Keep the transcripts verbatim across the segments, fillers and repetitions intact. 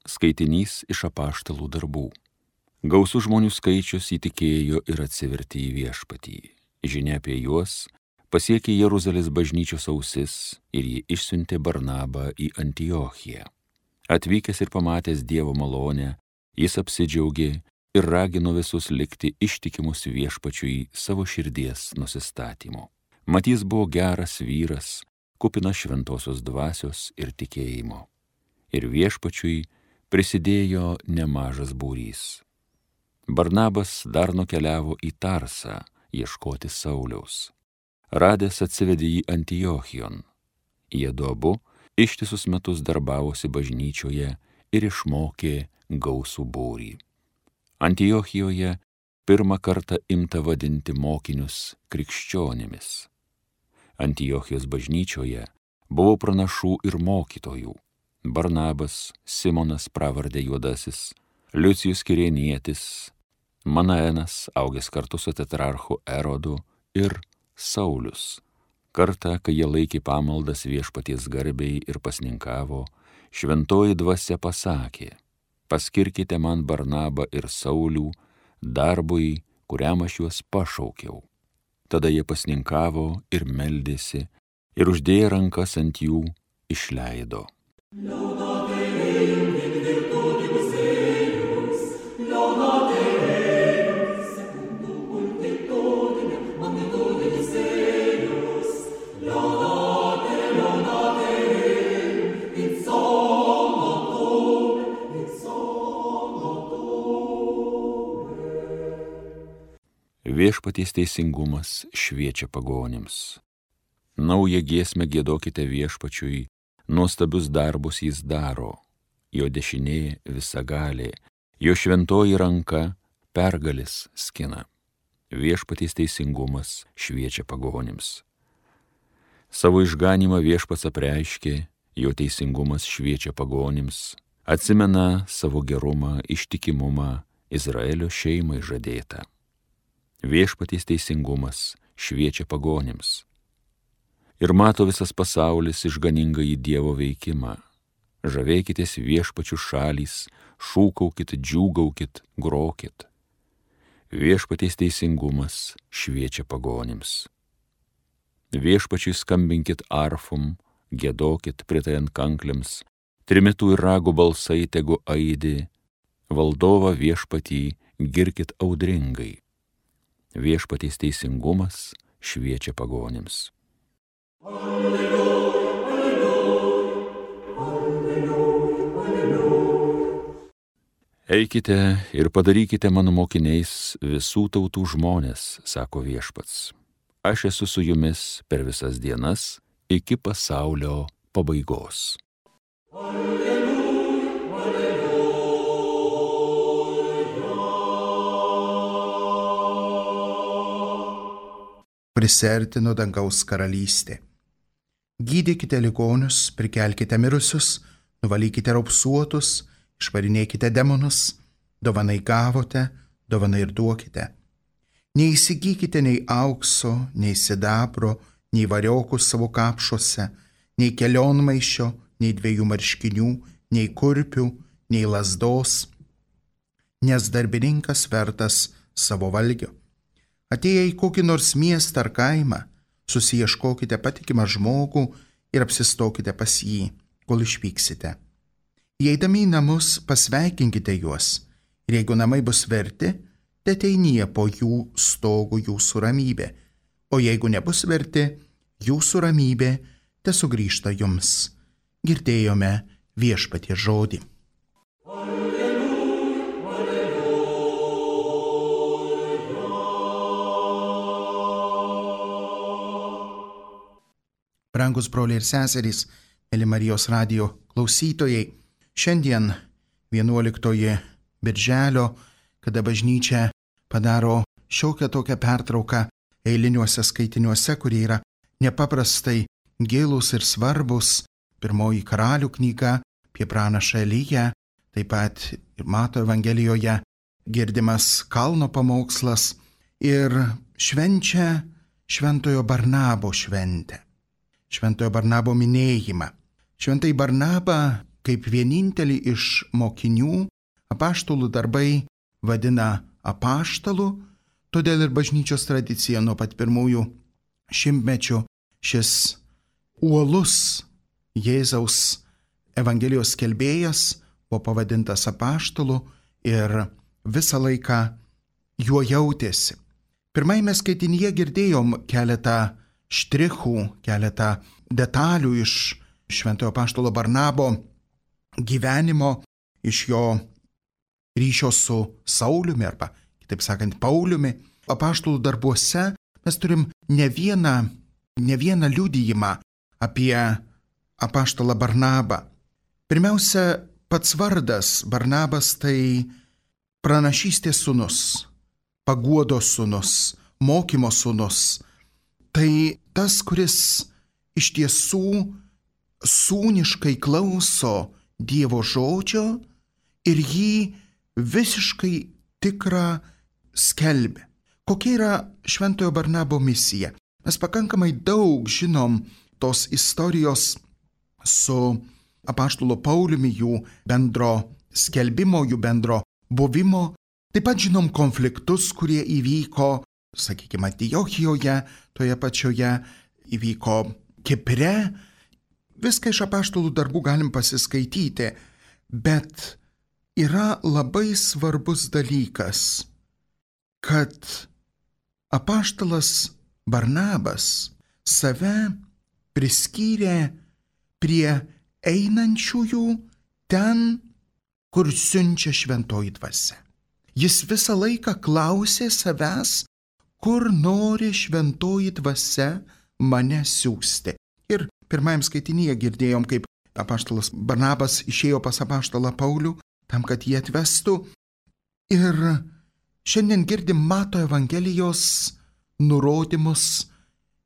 skaitinys iš apaštalų darbų. Gausų žmonių skaičius įtikėjo ir atsivertė į viešpatį. Žinia apie juos pasiekė Jeruzalės bažnyčios ausis ir ji išsiuntė Barnabą į Antiochiją. Atvykęs ir pamatęs Dievo malonę, jis apsidžiaugė ir ragino visus likti ištikimus viešpačiui savo širdies nusistatymu. Mat jis buvo geras vyras, kupinas šventosios dvasios ir tikėjimo. Ir viešpačiui prisidėjo nemažas būrys. Barnabas dar nukeliavo į Tarsą ieškoti Sauliaus. Radęs atsivedė jį Antiochijon. Jie du abu ištisus metus darbavosi bažnyčioje ir išmokė gausų būrį. Antiochijoje pirmą kartą imta vadinti mokinius krikščionimis. Antiochijos bažnyčioje buvo pranašų ir mokytojų. Barnabas, Simonas pravardė Juodasis, Liucijus Kirėnietis, Manaenas, augęs kartu su tetrarchu Erodu, ir Saulius. Kartą, kai jie laikė pamaldas viešpaties garbei ir pasninkavo, šventoji dvasia pasakė: paskirkite man Barnabą ir Saulių darbui, kuriam aš juos pašaukiau. Tada jie pasninkavo ir meldėsi, ir uždėję rankas ant jų išleido. Viešpaties teisingumas šviečia pagonims. Naują giesmę giedokite viešpačiui, nuostabius darbus jis daro. Jo dešinė visagalė, jo šventoji ranka pergalis skina. Viešpaties teisingumas šviečia pagonims. Savo išganymą viešpats apreiškė, jo teisingumas šviečia pagonims, atsimena savo gerumą, ištikimumą Izraelio šeimai žadėtą. Viešpaties teisingumas šviečia pagonims. Ir mato visas pasaulis išganingąjį Dievo veikimą. Žavėkitės viešpačių šalys, šūkaukit, džiūgaukit, grokit. Viešpaties teisingumas šviečia pagonims. Viešpačiui skambinkit arfum, giedokit pritajant kanklėms, trimitų ir ragų balsai tegu aidi, valdovą viešpatį girkit audringai. Viešpaties teisingumas šviečia pagonims. Alleluja, alleluja, alleluja, alleluja. Eikite ir padarykite mano mokiniais visų tautų žmonės, sako viešpats. Aš esu su jumis per visas dienas iki pasaulio pabaigos. Alleluja, alleluja. Prisertino dangaus karalystė. Gydykite ligonius, prikelkite mirusius, nuvalykite raupsuotus, išvarinėkite demonus, dovanai gavote, dovanai ir duokite. Neįsigykite nei aukso, nei sidabro, nei variokų savo kapšuose, nei kelionmaišio, nei dviejų marškinių, nei kurpių, nei lazdos, nes darbininkas vertas savo valgio. Atėję į kokį nors miestą ar kaimą, susiieškokite patikimą žmogų ir apsistokite pas jį, kol išvyksite. Įeidami į namus, pasveikinkite juos, ir jeigu namai bus verti, teteinie po jų stogų jūsų ramybė, o jeigu nebus verti, jūsų ramybė tesugrįžta jums. Girdėjome viešpaties žodį. Brangus broliai ir seserys, mėly Marijos radijo klausytojai, šiandien vienuoliktoji birželio, kada bažnyčia padaro šiokią tokią pertrauką eiliniuose skaitiniuose, kurie yra nepaprastai gilūs ir svarbus. Pirmoji Karalių knyga apie pranašą Eliją, taip pat ir Mato Evangelijoje girdimas kalno pamokslas ir švenčia šventojo Barnabo šventę. Šventojo Barnabo minėjimą. Šventai Barnabą kaip vienintelį iš mokinių apaštalų darbai vadina apaštalų, todėl ir bažnyčios tradicija nuo pat pirmųjų šimtmečių šis uolus Jėzaus Evangelijos skelbėjas buvo pavadintas apaštalu ir visą laiką juo jautėsi. Pirmajame skaitinyje girdėjom keletą štrichų, keletą detalių iš šventojo apaštalo Barnabo gyvenimo, iš jo ryšio su Sauliumi arba, kitaip sakant, Pauliumi. Apaštalų darbuose mes turim ne vieną, ne vieną liudijimą apie apaštalą Barnabą. Pirmiausia, pats vardas Barnabas tai pranašystės sūnus, paguodos sūnus, mokymo sūnus. Tai tas, kuris iš tiesų sūniškai klauso Dievo žodžio ir jį visiškai tikrą skelbia. Kokia yra šventojo Barnabo misija? Mes pakankamai daug žinom tos istorijos su apaštalo Pauliumi, jų bendro skelbimo, jų bendro buvimo. Taip pat žinom konfliktus, kurie įvyko, sakykime, Antiochijoje, toje pačioje, įvyko Kipre. Viską iš apaštalų darbų galim pasiskaityti, bet yra labai svarbus dalykas, kad apaštalas Barnabas save priskyrė prie einančiųjų ten, kur siunčia šventoji dvasia. Jis visą laiką klausė savęs, kur nori šventoji dvasia mane siųsti. Ir pirmajam skaitinyje girdėjom, kaip apaštalas Barnabas išėjo pas apaštalą Paulių, tam, kad jį atvestų. Ir šiandien girdim Mato Evangelijos nurodymus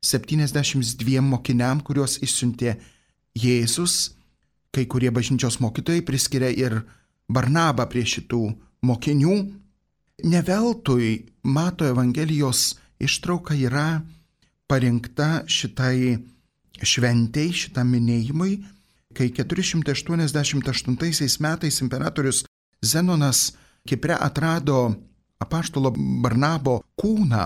septyniasdešimt dviem mokiniam, kuriuos išsiuntė Jėzus. Kai kurie bažnyčios mokytojai priskiria ir Barnabą prie šitų mokinių. Ne veltui Mato Evangelijos ištrauka yra parinkta šitai šventei, šitam minėjimui, kai keturi šimtai aštuoniasdešimt aštuntaisiais metais imperatorius Zenonas Kipre atrado apaštalo Barnabo kūną.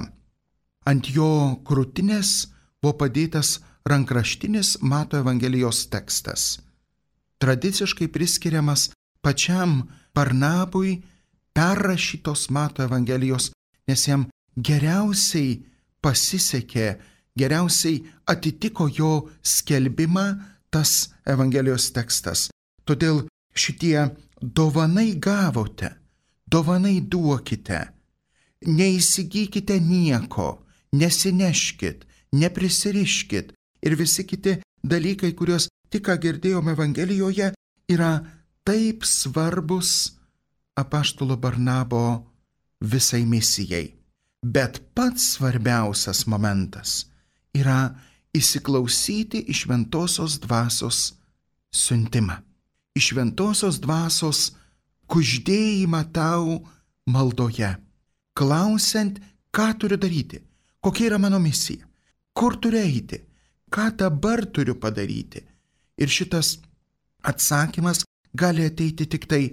Ant jo krūtinės buvo padėtas rankraštinis Mato Evangelijos tekstas, tradiciškai priskiriamas pačiam Barnabui perrašytos Mato Evangelijos, nes jam geriausiai pasisekė, geriausiai atitiko jo skelbimą tas Evangelijos tekstas. Todėl šitie dovanai gavote, dovanai duokite, neįsigykite nieko, nesineškit, neprisiriškit ir visi kiti dalykai, kuriuos tik ką girdėjome Evangelijoje, yra taip svarbus apaštalo Barnabo visai misijai. Bet pats svarbiausias momentas yra įsiklausyti į šventosios dvasios siuntimą, į šventosios dvasios kuždėjimą tau maldoje, klausiant, ką turiu daryti, kokia yra mano misija, kur turiu eiti, ką dabar turiu padaryti. Ir šitas atsakymas gali ateiti tik tai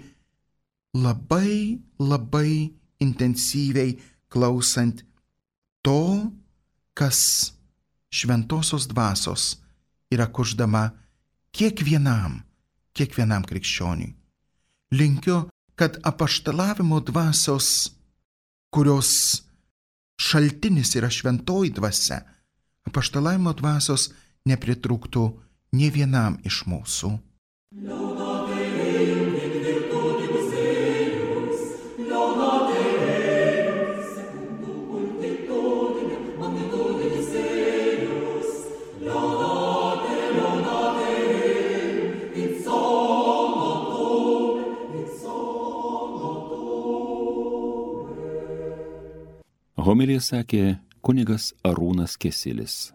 labai, labai intensyviai klausant to, kas šventosios dvasios yra kuždama kiekvienam, kiekvienam krikščioniui. Linkiu, kad apaštalavimo dvasios, kurios šaltinis yra šventoji dvasia, apaštalavimo dvasios nepritrūktų nė vienam iš mūsų. Homiliją sakė kunigas Arūnas Kesilis.